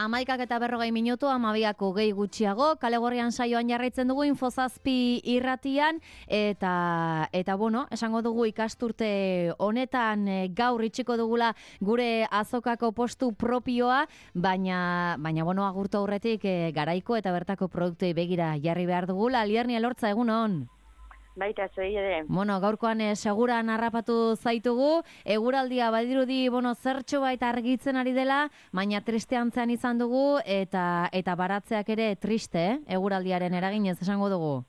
11:40 12:02 gehi gutxiago, Kale Gorrian saioan jarraitzen dugu Infozazpi irratian, eta bueno, esango dugu ikasturte honetan gaur itxiko dugula gure azokako postu propioa, baina bueno, agurtu aurretik garaiko eta bertako produktei begira jarri behar dugula. Alierni Elortza, egunon. Baita, zuei ere. Bueno, gaurkoan seguran harrapatu zaitugu, eguraldia badirudi, zertxo baita argitzen ari dela, baina triste antzean izan dugu, eta baratzeak ere triste, eguraldiaren eraginez esango dugu.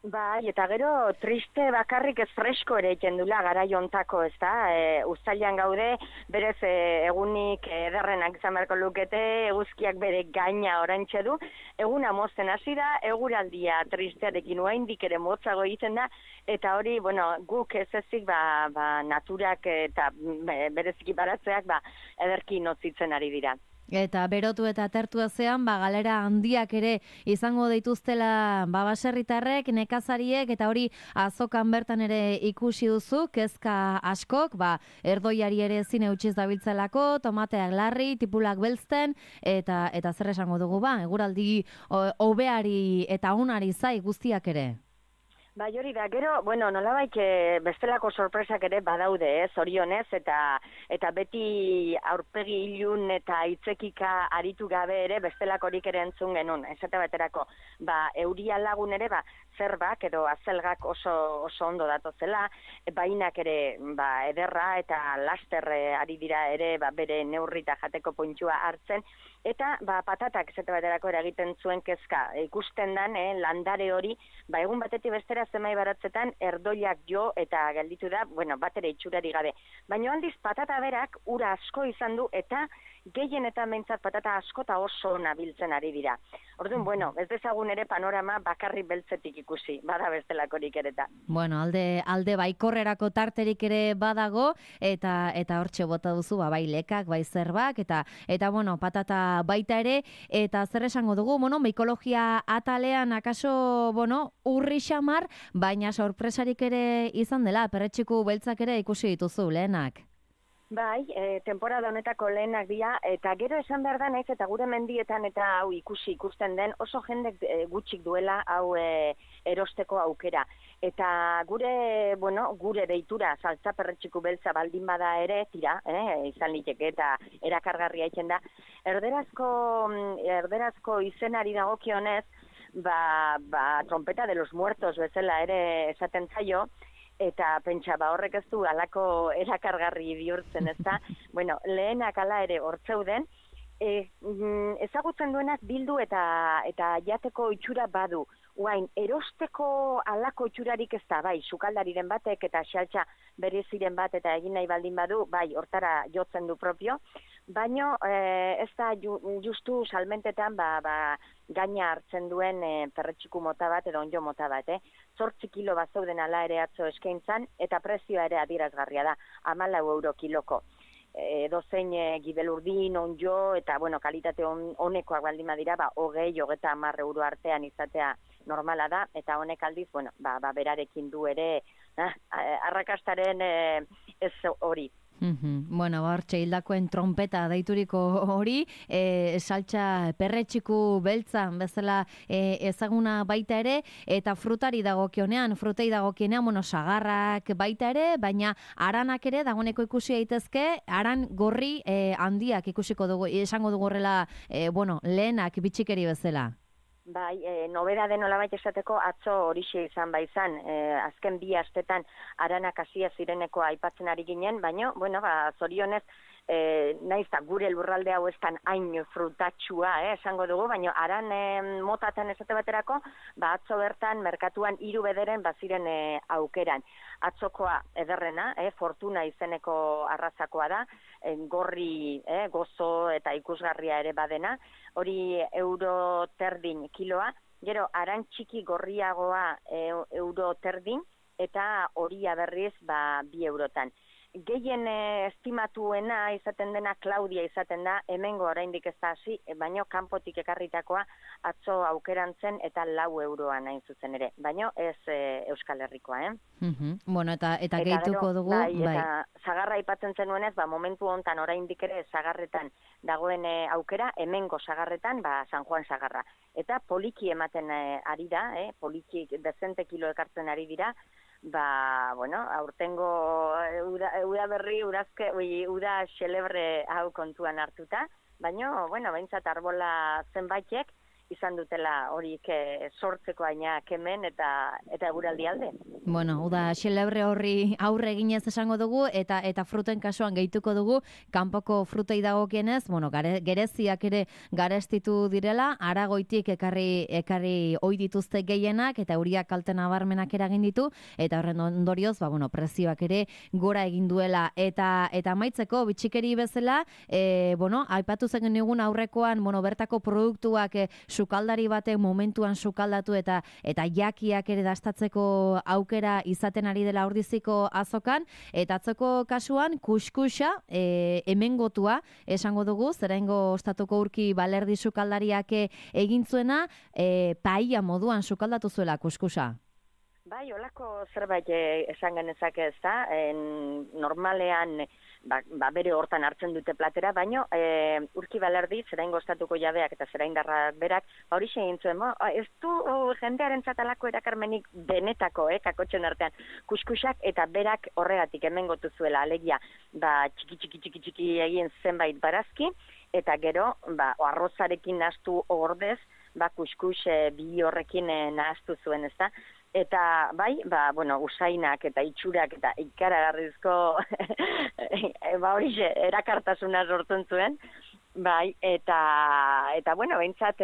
Bai, eta gero triste bakarrik ez fresko ere egiten dula garai hontako, ez da? Uztailean gaude, berez egunik ederrenak izan beharko lukete, eguzkiak bere gaina orantxe du, eguna mozten hasi da, eguraldia tristearekin oraindik ere motzago egiten da, eta hori, guk ez ezik, naturak eta bereziki baratzeak, ederki notzitzen ari dira. Eta berotu eta atertu ezean, galera handiak ere izango dituztela baserritarrek, nekazariek, eta hori azokan bertan ere ikusi duzu, kezka askok, erdoiari ere ezin eutxiz dabiltzelako, tomateak larri, tipulak belzten, eta zer esango dugu, eguraldi hobeari eta unari zai guztiak ere. Bai, hori da, gero, nolabait bestelako sorpresak ere badaude, zorionez, eta beti aurpegi ilun eta hitzekika aritu gabe ere bestelakorik ere entzun genuen, esate baterako, euria lagun ere, zerbak edo azelgak oso ondo datozela, bainak ere ederra eta laster ari dira ere bere neurrita jateko pointxua hartzen, eta patatak esate baterako eragiten zuen kezka. Ikusten dan, landare hori, egun batetik bestera zemai baratzetan erdoiak jo eta gelditu da, bat ere itxurari gabe. Baina aldiz patata berak ura asko izan du eta gehien eta mentzat patata asko eta oso nabiltzen ari dira. Orduan, ez dezagun ere panorama bakarri beltzetik ikusi, bada bestelakorik ereta. Alde baikorrerako tarterik ere badago, eta hortxe bota duzu, bai lekak, bai zerbak, eta patata baita ere, eta zer esango dugu, ekologia atalean akaso, urri xamar, baina sorpresarik ere izan dela, perretxiku beltzak ere ikusi dituzu lehenak. Bai, temporada honetako lehenak dira, eta gero esan behar da naiz, eta gure mendietan eta hau ikusten den, oso jendek gutxik duela hau erosteko aukera. Eta gure deitura, saltza perretxiku beltza baldin bada ere, tira, izan liteke eta erakargarria egiten da. Erderazko izenari dagokionez, trompeta de los muertos bezala ere esaten zaio, eta pentsa, horrek ez du alako erakargarri bihurtzen, ez da? Lehenak ala ere hortzeuden, ezagutzen duenak bildu eta jateko itxura badu. Uain, erosteko alako itxurarik ez da, sukaldariren batek eta xaltxa bereziren bat eta egin nahi baldin badu, hortara jotzen du propio, baino ez da justu salmentetan gaina hartzen duen perretxiku mota bat edo onjo mota bat, 8 kilo bazauden ala ere atzo eskaintzan, eta prezioa ere adierazgarria da, 14 euro kiloko. Dozein gibelurdin, onjo, eta kalitate honekoak baldin badira, 20-30 euro artean izatea normala da, eta honek aldiz, berarekin du ere, arrakastaren ez hori. Hortxe hildakoen trompeta deituriko hori, saltxa perretxiku beltza bezala ezaguna baita ere, eta frutei dagokionean, sagarrak baita ere, baina aranak ere dagoeneko ikusi daitezke, aran gorri handiak ikusiko dugu, esango dugu horrela, lehenak bitxikeri bezala. Bai, nobedade nolabait esateko atzo horixe izan baizan, azken 2 astetan aranak hasia zireneko aipatzen ari ginen, baina, zorionez, naiz da gure lurralde hau estan hain frutatxua, esango dugu, baina aran motatan esate baterako, atzo bertan merkatuan 3 bederen baziren aukeran. Atzokoa ederrena, fortuna izeneko arrazakoa da, gorri, gozo eta ikusgarria ere badena, hori euro terdin kiloa, gero aran txiki gorriagoa euro terdin, eta horia berriz 2 eurotan. gehien estimatuena izaten dena Claudia izaten da, hemengo oraindik ez da hasi, baino kanpotik ekarritakoa atzo aukeran zen eta 4 euroan hain zuzen ere, baino ez Euskal Herrikoa, Bueno, eta gehituko dugu, bai. Eta sagarra aipatzen zenuenez, momentu hontan oraindik ere sagarretan dagoen aukera, hemengo sagarretan, San Juan sagarra. Eta poliki ematen ari da, poliki dezente kilo ekartzen ari dira, aurtengo uda berri, uda xelebre hau kontuan hartuta, baina, behintzat arbola zenbaitek izan dutela horik sortzeko ainak hemen eta eguraldi alde. Bueno, uda xelebre horri aurre eginez esango dugu eta fruten kasuan gehituko dugu, kanpoko frutei dagokienez, gereziak ere garestitu direla, Aragoitik ekarri ohi dituzte gehienak eta euriak kalte nabarmenak eragin ditu eta horren ondorioz, prezioak ere gora egin duela eta amaitzeko bitxikeri bezala, aipatu zen egun aurrekoan, bertako produktuak sukaldari batek momentuan sukaldatu eta jakiak ere dastatzeko aukera izaten ari dela Ordiziko azokan, eta atzoko kasuan kuskusa hemengotua esango dugu, zeraingo ostatuko urki balerdi sukaldariak egin zuena, paella moduan sukaldatu zuela kuskusa. Bai, holako zerbait esan genezake ez da, normalean bere hortan hartzen dute platera, baino urki balerdi, zeraingo ostatuko jabeak eta zeraindarrak berak, hori egin zuen, ez du jendearen txatalako erakarmenik benetako, kakotxen artean, kuskusak eta berak horregatik hemengotu zuela, alegia, txiki egin zenbait barazki, eta gero, arrozarekin nahastu ordez, kuskus bi horrekin nahastu zuen, ez da, eta usainak eta itxurak eta ikaragarrizko hori erakartasuna sortzen zuen, eta behintzat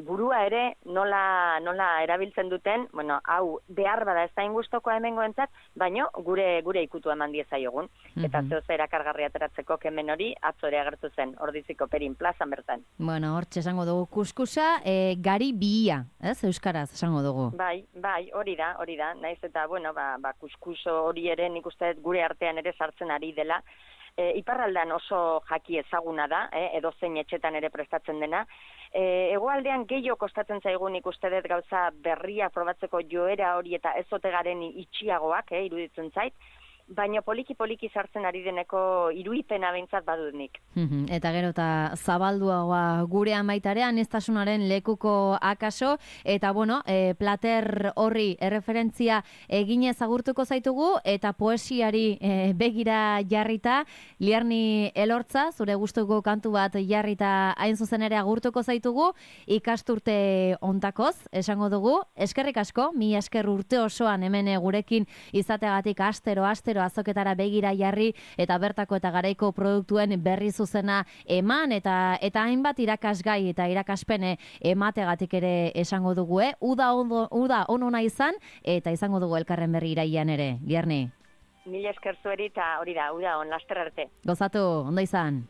burua ere nola erabiltzen duten, hau behar bada ez da ingustokoa hemengoentzat, baino gure ikutu eman diezaiogun, eta zehoz erakargarria ateratzeko kemen hori atzore agertu zen, Ordiziko Perin plazan bertan. Hortxe esango dugu kuskusa, gari bihia, ez, euskaraz esango dugu. Bai, hori da, naiz eta, kuskuso hori ere nik uste gure artean ere sartzen ari dela, iparraldean oso jaki ezaguna da, edozein etxetan ere prestatzen dena. Hegoaldean gehiago kostatzen zaigun ikuste dut gauza berria probatzeko joera hori eta ez ote garen itxiagoak, iruditzen zait, baina poliki sartzen ari deneko iruipena behintzat badut nik. Eta gero eta zabalduagoa gure amaitarean, aniztasunaren lekuko akaso, eta plater horri erreferentzia eginez agurtuko zaitugu, eta poesiari begira jarrita, Liarni Elortza, zure gustuko kantu bat jarrita hain zuzen ere agurtuko zaitugu, ikasturte ontakoz, esango dugu, eskerrik asko, mi esker urte osoan hemen gurekin izateagatik astero azoketara begira jarri eta bertako eta garaiko produktuen berri zuzena eman eta hainbat irakasgai eta irakaspene emategatik ere esango dugu, uda onona izan eta izango dugu elkarren berri iraian ere, Liarni. Mila esker zueri eta hori da, uda on, laster arte. Gozatu, ondo izan.